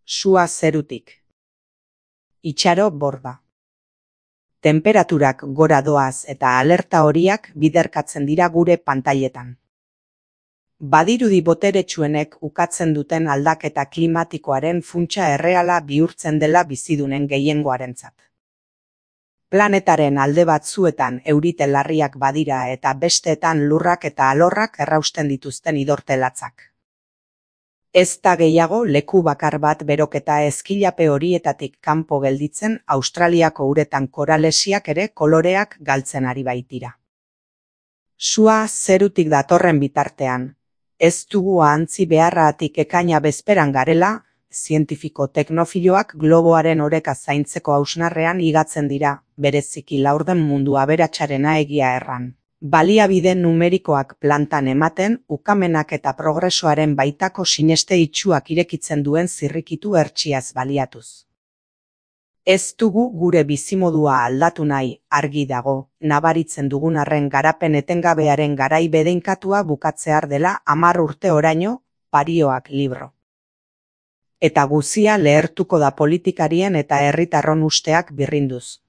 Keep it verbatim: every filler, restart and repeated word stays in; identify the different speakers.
Speaker 1: Sua zerutik. Itxaro borda. Tenperaturak gora doaz eta alerta horiak biderkatzen dira gure pantailetan. Badirudi boteretsuenek ukatzen duten aldaketa klimatikoaren funtsa erreala bihurtzen dela bizidunen gehiengoarentzat. Planetaren alde batzuetan eurite larriak badira eta besteetan lurrak eta alorrak errausten dituzten idortelatzak. Ez da gehiago leku bakar bat beroketa ezkilape horietatik kanpo gelditzen Australiako uretan koralesiak ere koloreak galtzen ari baitira. Sua zerutik datorren bitartean, ez dugu ahantzi beharraatik ekaina bezperan garela, zientifiko teknofiloak globoaren oreka zaintzeko hausnarrean igatzen dira, bereziki laurden mundu aberatsarena egia erran. Baliabide numerikoak plantan ematen, ukamenak eta progresoaren baitako sineste itxuak irekitzen duen zirrikitu hertsiaz baliatuz. Ez dugu gure bizimodua aldatu nahi, argi dago, nabaritzen dugun arren garapen etengabearen garai bedeinkatua bukatzear dela hamar urte oraino, Parioak libro. Eta guzia lehertuko da politikarien eta herritarron usteak birrinduz.